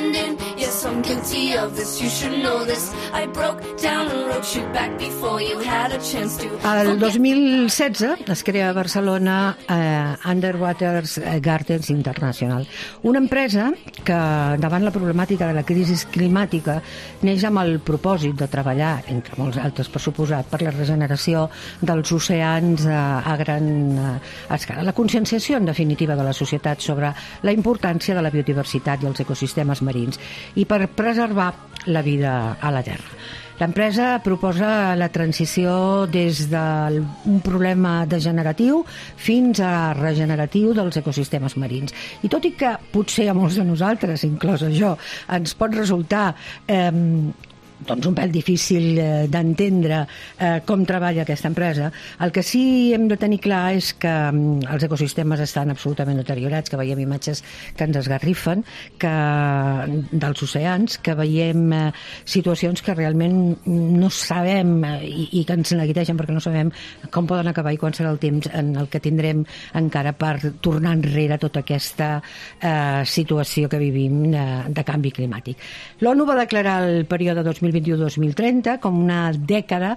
pretending. Yes, I'm guilty of this, you should know this. I broke down and wrote you back before you had a chance to. El 2016 es crea a Barcelona Underwater Gardens International, una empresa que, davant la problemàtica de la crisi climàtica, neix amb el propòsit de treballar, entre molts altres per suposat, per la regeneració dels oceans a gran escala. La conscienciació, en definitiva, de la societat sobre la importància de la biodiversitat i els ecosistemes marins i per preservar la vida a la Terra. L'empresa proposa la transició des d'un problema degeneratiu fins a regeneratiu dels ecosistemes marins. I tot i que potser a molts de nosaltres, inclòs jo, ens pot resultar doncs un pèl difícil d'entendre com treballa aquesta empresa, el que sí hem de tenir clar és que els ecosistemes estan absolutament deteriorats, que veiem imatges que ens esgarrifen dels oceans, que veiem situacions que realment no sabem i que ens neguiteixen perquè no sabem com poden acabar i quan serà el temps en el que tindrem encara per tornar enrere tota aquesta situació que vivim de canvi climàtic. L'ONU va declarar el període 2021-2030 com una dècada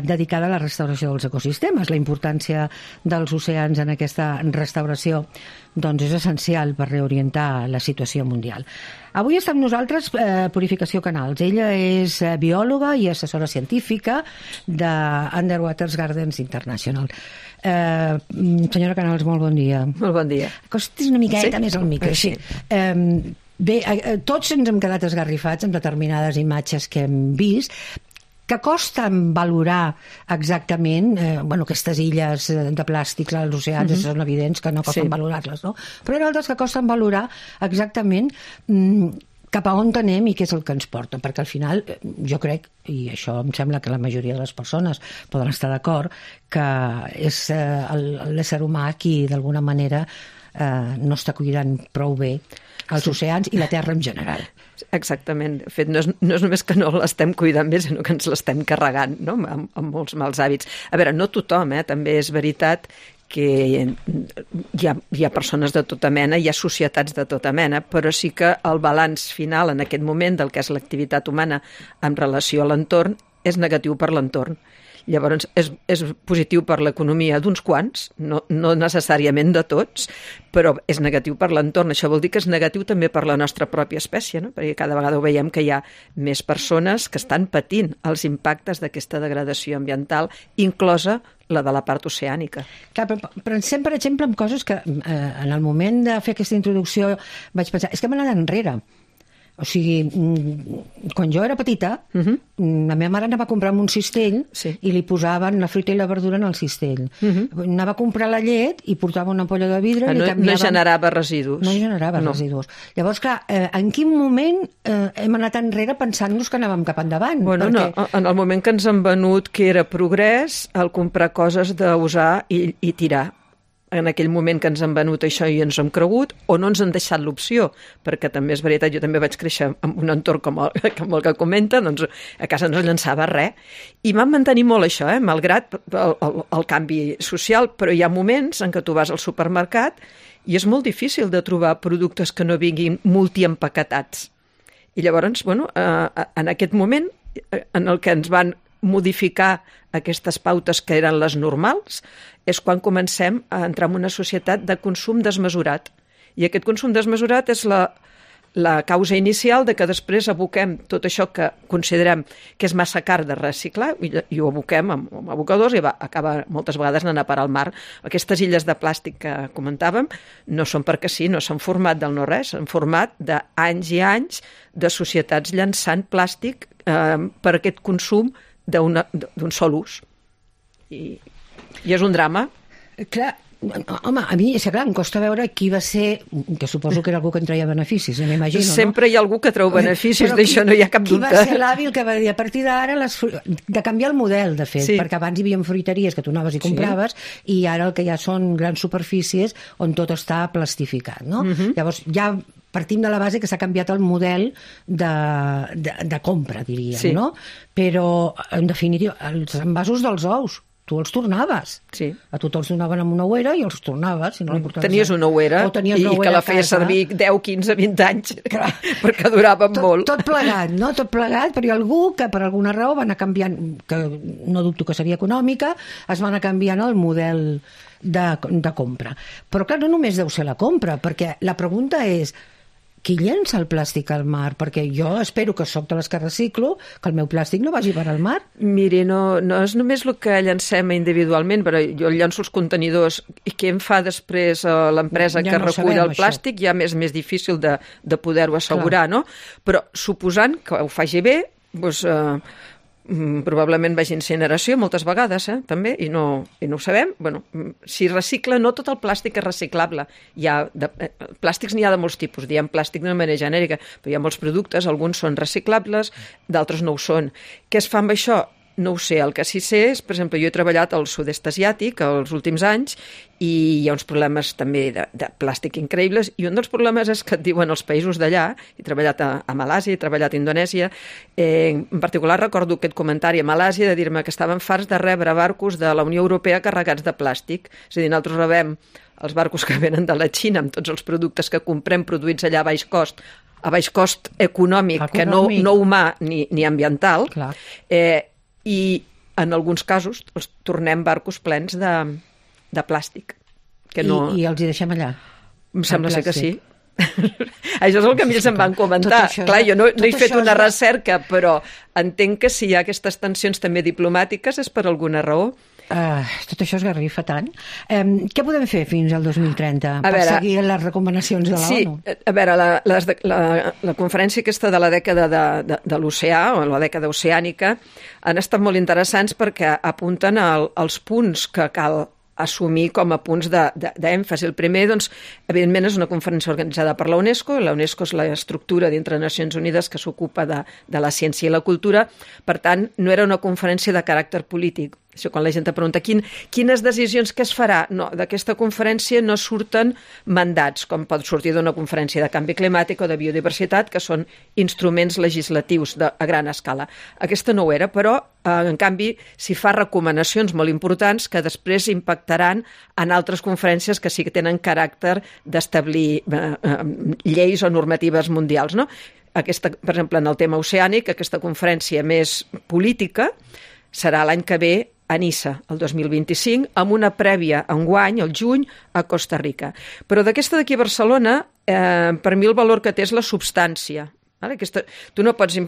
dedicada a la restauració dels ecosistemes. La importància dels oceans en aquesta restauració doncs és essencial per reorientar la situació mundial. Avui està amb nosaltres Purificació Canals. Ella és biòloga i assessora científica de Underwater Gardens International. Senyora Canals, molt bon dia. Molt bon dia. Acostis una miqueta més al micro. Sí. Bé, tots ens hem quedat esgarrifats amb determinades imatges que hem vist, que costen valorar exactament, aquestes illes de plàstics als oceans són evidents que no costen valorar-les, no? Però hi ha altres que costen valorar exactament cap a on anem i què és el que ens porta, perquè al final jo crec, i això em sembla que la majoria de les persones poden estar d'acord, que és l'ésser humà qui d'alguna manera no està cuidant prou bé els oceans i la Terra en general. Exactament. De fet, no és només que no l'estem cuidant bé, sinó que ens l'estem carregant, no? Amb molts mals hàbits. A veure, no tothom, també és veritat que hi ha persones de tota mena, hi ha societats de tota mena, però sí que el balanç final en aquest moment del que és l'activitat humana en relació a l'entorn és negatiu per l'entorn. Llavors, és positiu per l'economia d'uns quants, no necessàriament de tots, però és negatiu per l'entorn. Això vol dir que és negatiu també per la nostra pròpia espècie, no? Perquè cada vegada ho veiem que hi ha més persones que estan patint els impactes d'aquesta degradació ambiental, inclosa la de la part oceànica. Clar, però pensem, per exemple, en coses que en el moment de fer aquesta introducció vaig pensar, és que hem anat enrere. O sigui, quan jo era petita, la meva mare anava a comprar un cistell i li posaven la fruita i la verdura en el cistell. Anava a comprar la llet i portava una ampolla de vidre i li canviaven... No generava residus. No generava residus. Llavors, clar, en quin moment hem anat enrere pensant-nos que anàvem cap endavant? Bueno, no, en el moment que ens han venut que era progrés el comprar coses d'usar i tirar. En aquell moment que ens han venut això i ens hem cregut, o no ens han deixat l'opció, perquè també és veritat, jo també vaig créixer en un entorn com el que comenta, doncs a casa no es llançava res, i vam mantenir molt això, malgrat el canvi social, però hi ha moments en què tu vas al supermercat i és molt difícil de trobar productes que no vinguin multiempaquetats. I llavors, en aquest moment en el que ens van modificar aquestes pautes que eren les normals, és quan comencem a entrar en una societat de consum desmesurat. I aquest consum desmesurat és la causa inicial de que després aboquem tot això que considerem que és massa car de reciclar i ho aboquem amb abocadors i acaba moltes vegades anant a parar al mar. Aquestes illes de plàstic que comentàvem no són perquè sí, no s'han format del no res, s'han format d'anys i anys de societats llançant plàstic per aquest consum d'un sol ús. I és un drama. Clar, home, a mi, és clar, em costa veure qui va ser, que suposo que era algú que en treia beneficis, m'imagino, no? Sempre hi ha algú que treu beneficis, d'això no hi ha cap dubte. Qui va ser l'hàbil que va dir, a partir d'ara, de canviar el model, de fet, perquè abans hi havia fruiteries que tu anaves i compraves, i ara el que ja són grans superfícies on tot està plastificat, no? Llavors, ja partim de la base que s'ha canviat el model de compra, diríem, no? Però, en definitiva, els envasos dels ous. tu els tornaves. Sí. A tu te'ls donaven amb una ouera i els tornaves. Si no tenies una ouera i que la feies servir 10, 15, 20 anys, perquè duraven molt. Tot plegat, no? Tot plegat, però hi ha algú que per alguna raó va anar canviant, que no dubto que seria econòmica, es va anar canviant el model de compra. Però clar, no només deu ser la compra, perquè la pregunta és qui llença el plàstic al mar? Perquè jo espero que soc de les que reciclo, que el meu plàstic no vagi per al mar. Miri, no és només el que llancem individualment, però jo llanço els contenidors i què em fa després l'empresa que recull el plàstic ja és més difícil de poder-ho assegurar, no? Però suposant que ho faci bé, doncs probablement vagi a incineració moltes vegades, també, i no ho sabem. Bueno, si recicla, no tot el plàstic és reciclable. Plàstics n'hi ha de molts tipus, diem plàstic d'una manera genèrica, però hi ha molts productes, alguns són reciclables, d'altres no ho són. Què es fa amb això? No ho sé, el que sí sé és, per exemple, jo he treballat al sud-est asiàtic els últims anys i hi ha uns problemes també de plàstic increïbles i un dels problemes és que et diuen els països d'allà, he treballat a Malàsia, he treballat a Indonèsia, en particular recordo aquest comentari a Malàsia de dir-me que estaven farts de rebre barcos de la Unió Europea carregats de plàstic, és a dir, nosaltres rebem els barcos que venen de la Xina amb tots els productes que comprem produïts allà a baix cost econòmic, que no humà ni ambiental, i en alguns casos els tornem barcos plens de plàstic. I els hi deixem allà? Em sembla ser que sí. Això és el que a mi se'm van comentar. Clar, jo no he fet una recerca, però entenc que si hi ha aquestes tensions també diplomàtiques és per alguna raó. Tot això esgarrifa tant. Què podem fer fins al 2030 per seguir les recomanacions de l'ONU? Sí, a veure, la conferència aquesta de la dècada de l'oceà, o la dècada oceànica, han estat molt interessants perquè apunten als punts que cal assumir com a punts d'èmfasi. El primer, doncs, evidentment, és una conferència organitzada per la UNESCO. La UNESCO és l'estructura dintre de Nacions Unides que s'ocupa de la ciència i la cultura. Per tant, no era una conferència de caràcter polític. Això quan la gent te pregunta quines decisions que es farà? No, d'aquesta conferència no surten mandats, com pot sortir d'una conferència de canvi climàtic o de biodiversitat, que són instruments legislatius a gran escala. Aquesta no ho era, però en canvi s'hi fa recomanacions molt importants que després impactaran en altres conferències que sí que tenen caràcter d'establir lleis o normatives mundials, no? Aquesta, per exemple, en el tema oceànic, aquesta conferència més política serà l'any que ve a Niça, el 2025, amb una prèvia enguany, el juny, a Costa Rica. Però d'aquesta d'aquí a Barcelona, per mi el valor que té és la substància. Tu no pots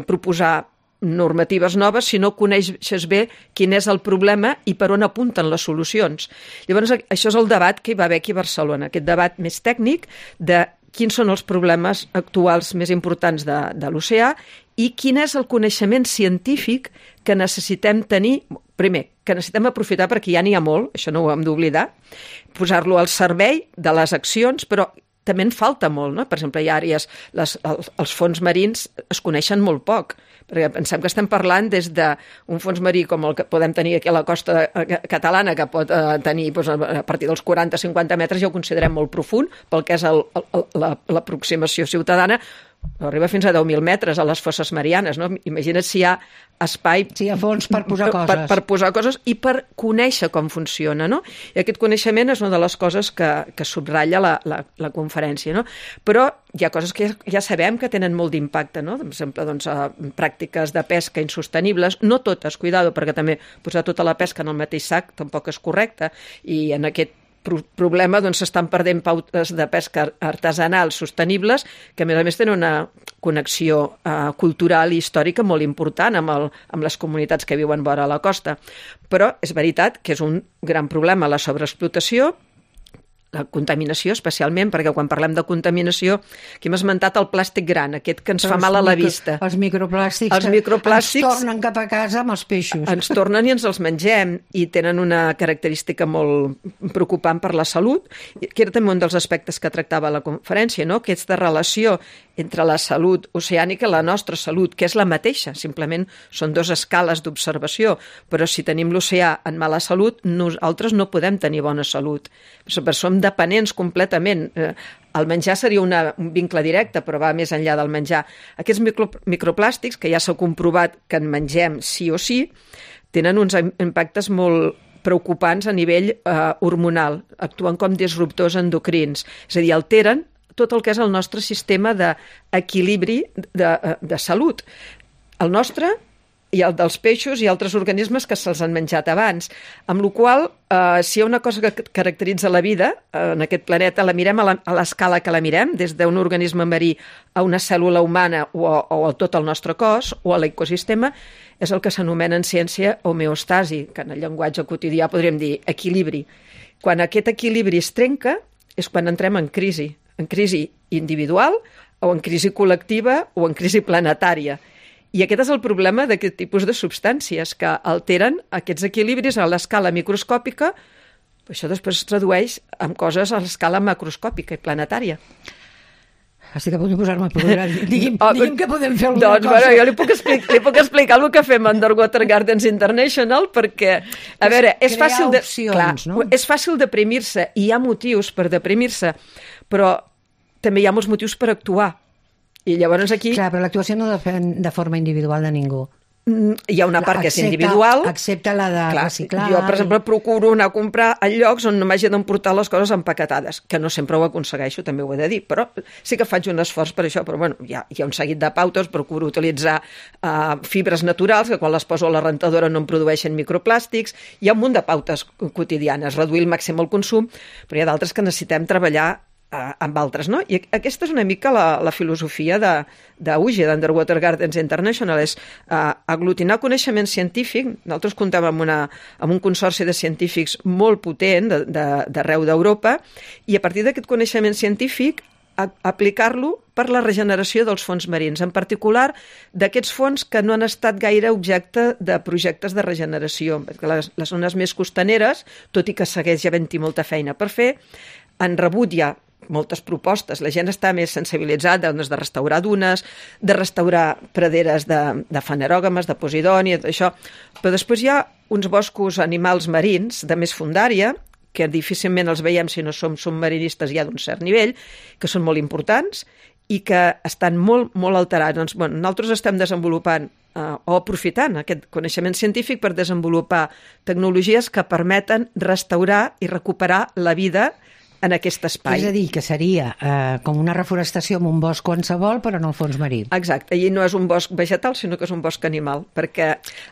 proposar normatives noves si no coneixes bé quin és el problema i per on apunten les solucions. Llavors, això és el debat que hi va haver aquí a Barcelona, aquest debat més tècnic de quins són els problemes actuals més importants de l'oceà i quin és el coneixement científic que necessitem tenir, primer, que necessitem aprofitar perquè ja n'hi ha molt, això no ho hem d'oblidar, posar-lo al servei de les accions, però també en falta molt, no? Per exemple, hi ha àrees, els fons marins es coneixen molt poc, perquè pensem que estem parlant des d'un fons marí com el que podem tenir aquí a la costa catalana, que pot tenir a partir dels 40-50 metres, ja ho considerem molt profund, pel que és l'aproximació ciutadana, arriba fins a 10.000 metres a les fosses marianes, no? Imagina't si hi ha espai... Si hi ha fons per posar coses. Per posar coses i per conèixer com funciona, no? I aquest coneixement és una de les coses que subratlla la conferència, no? Però hi ha coses que ja sabem que tenen molt d'impacte, no? Per exemple, doncs, pràctiques de pesca insostenibles, no totes, cuidado, perquè també posar tota la pesca en el mateix sac tampoc és correcte, i en aquest problema doncs s'estan perdent pautes de pesca artesanals sostenibles que a més tenen una connexió cultural i històrica molt important amb les comunitats que viuen vora la costa. Però és veritat que és un gran problema la sobreexplotació, la contaminació especialment, perquè quan parlem de contaminació, aquí hem esmentat el plàstic gran, aquest que ens fa mal a la vista. Els microplàstics ens tornen cap a casa amb els peixos. Ens tornen i ens els mengem i tenen una característica molt preocupant per la salut, que era també un dels aspectes que tractava la conferència, no? Aquesta relació entre la salut oceànica i la nostra salut, que és la mateixa, simplement són dues escales d'observació, però si tenim l'oceà en mala salut, nosaltres no podem tenir bona salut. Som dependents completament. El menjar seria un vincle directe, però va més enllà del menjar. Aquests microplàstics, que ja s'ha comprovat que en mengem sí o sí, tenen uns impactes molt preocupants a nivell hormonal, actuen com disruptors endocrins, és a dir, alteren tot el que és el nostre sistema d'equilibri de salut. El nostre i el dels peixos i altres organismes que se'ls han menjat abans. Amb la qual si hi ha una cosa que caracteritza la vida en aquest planeta, la mirem a l'escala que la mirem, des d'un organisme marí a una cèl·lula humana o a tot el nostre cos o a l'ecosistema, és el que s'anomena en ciència homeostasi, que en el llenguatge quotidià podríem dir equilibri. Quan aquest equilibri es trenca és quan entrem en crisi individual o en crisi col·lectiva o en crisi planetària. I aquest és el problema d'aquest tipus de substàncies, que alteren aquests equilibris a l'escala microscòpica. Això després es tradueix en coses a l'escala macroscòpica i planetària. Estic a punt de posar-me a plorar. Digui'm que podem fer alguna cosa. Bueno, jo li puc explicar el que fem a Underwater Gardens International, perquè, a veure, és fàcil és fàcil deprimir-se, i hi ha motius per deprimir-se, però també hi ha molts motius per actuar. I llavors aquí... Clar, però l'actuació no depèn de forma individual de ningú. Hi ha una part que és individual. Excepte la de reciclar. Jo, per exemple, procuro anar a comprar a llocs on no m'hagi d'emportar les coses empaquetades, que no sempre ho aconsegueixo, també ho he de dir, però sí que faig un esforç per això, però bueno, hi ha un seguit de pautes, procuro utilitzar fibres naturals, que quan les poso a la rentadora no em produeixen microplàstics, hi ha un munt de pautes quotidianes, reduir al màxim el consum, però hi ha d'altres que necessitem treballar amb altres, no? I aquesta és una mica la filosofia d'UGE, d'Underwater Gardens International, és aglutinar coneixement científic. Nosaltres comptem amb un consorci de científics molt potent d'arreu d'Europa, i a partir d'aquest coneixement científic aplicar-lo per la regeneració dels fons marins, en particular d'aquests fons que no han estat gaire objecte de projectes de regeneració. Les zones més costaneres, tot i que segueix havent-hi molta feina per fer, han rebut ja moltes propostes. La gent està més sensibilitzada de restaurar dunes, de restaurar praderes de fanerògames, de posidònia, això. Però després hi ha uns boscos animals marins de més fondària, que difícilment els veiem si no som submarinistes ja d'un cert nivell, que són molt importants i que estan molt, molt alterats. Doncs, bueno, nosaltres estem desenvolupant o aprofitant aquest coneixement científic per desenvolupar tecnologies que permeten restaurar i recuperar la vida en aquest espai. És a dir, que seria com una reforestació en un bosc qualsevol, però en el fons marí. Exacte, i no és un bosc vegetal, sinó que és un bosc animal, perquè,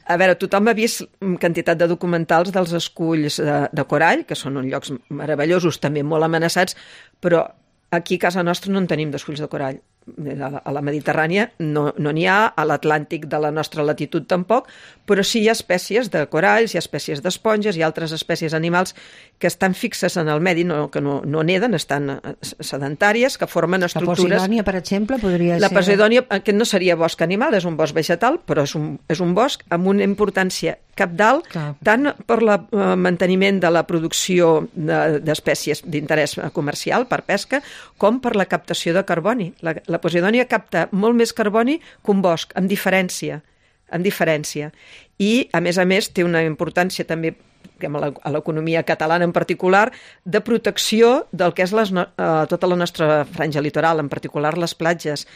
a veure, tothom ha vist quantitat de documentals dels esculls de corall, que són uns llocs meravellosos, també molt amenaçats, però aquí a casa nostra no en tenim d'esculls de corall. A la Mediterrània no n'hi ha, a l'Atlàntic de la nostra latitud tampoc, però sí hi ha espècies de coralls, hi ha espècies d'esponges, hi ha altres espècies animals que estan fixes en el medi, que no neden, estan sedentàries, que formen estructures... La Posidònia, per exemple, podria ser... La Posidònia, que no seria bosc animal, és un bosc vegetal, però és un bosc amb una importància cabdal, tant per el manteniment de la producció d'espècies d'interès comercial, per pesca, com per la captació de carboni. La Posidònia capta molt més carboni que un bosc, amb diferència. I, a més, té una importància també a l'economia catalana en particular, de protecció del que és tota la nostra franja litoral, en particular les platges.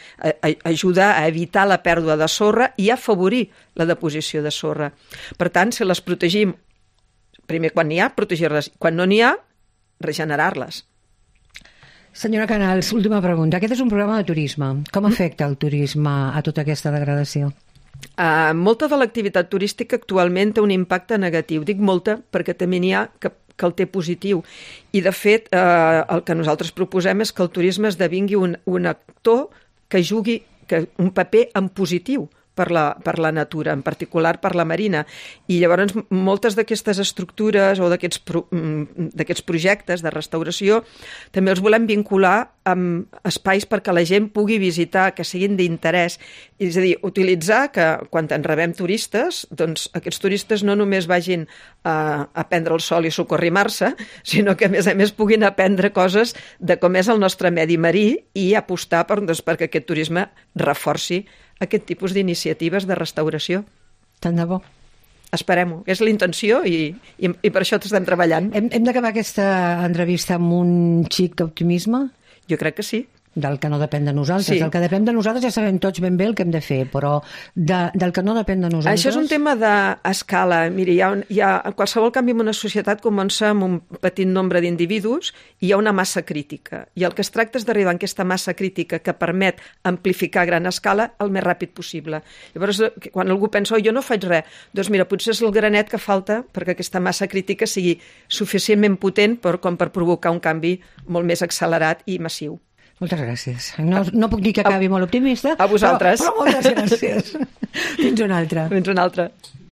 Ajuda a evitar la pèrdua de sorra i a afavorir la deposició de sorra. Per tant, si les protegim, primer quan n'hi ha, protegir-les. Quan no n'hi ha, regenerar-les. Senyora Canals, última pregunta. Aquest és un programa de turisme. Com afecta el turisme a tota aquesta degradació? Molta de l'activitat turística actualment té un impacte negatiu. Dic molta perquè també n'hi ha que el té positiu. I, de fet, el que nosaltres proposem és que el turisme esdevingui un actor que jugui un paper en positiu per la natura, en particular per la marina. I llavors moltes d'aquestes estructures o d'aquests projectes de restauració també els volem vincular amb espais perquè la gent pugui visitar, que siguin d'interès. És a dir, utilitzar que quan en rebem turistes, doncs aquests turistes no només vagin a prendre el sol i socorrimar-se, sinó que a més puguin aprendre coses de com és el nostre medi marí i apostar perquè aquest turisme reforci aquest tipus d'iniciatives de restauració. Tant de bo. Esperem-ho. És la intenció i per això estem treballant. Hem d'acabar aquesta entrevista amb un xic d'optimisme? Jo crec que sí. del que no depèn de nosaltres. Sí. Del que depèn de nosaltres ja sabem tots ben bé el que hem de fer, però del que no depèn de nosaltres... Això és un tema d'escala. Miri, hi ha qualsevol canvi en una societat comença amb un petit nombre d'individus i hi ha una massa crítica. I el que es tracta és d'arribar a aquesta massa crítica que permet amplificar a gran escala el més ràpid possible. Llavors, quan algú pensa, jo no faig res, doncs mira, potser és el granet que falta perquè aquesta massa crítica sigui suficientment potent com per provocar un canvi molt més accelerat i massiu. Moltes gràcies. No puc dir que acabi molt optimista. A vosaltres. Però moltes gràcies. Fins una altra. Fins una altra.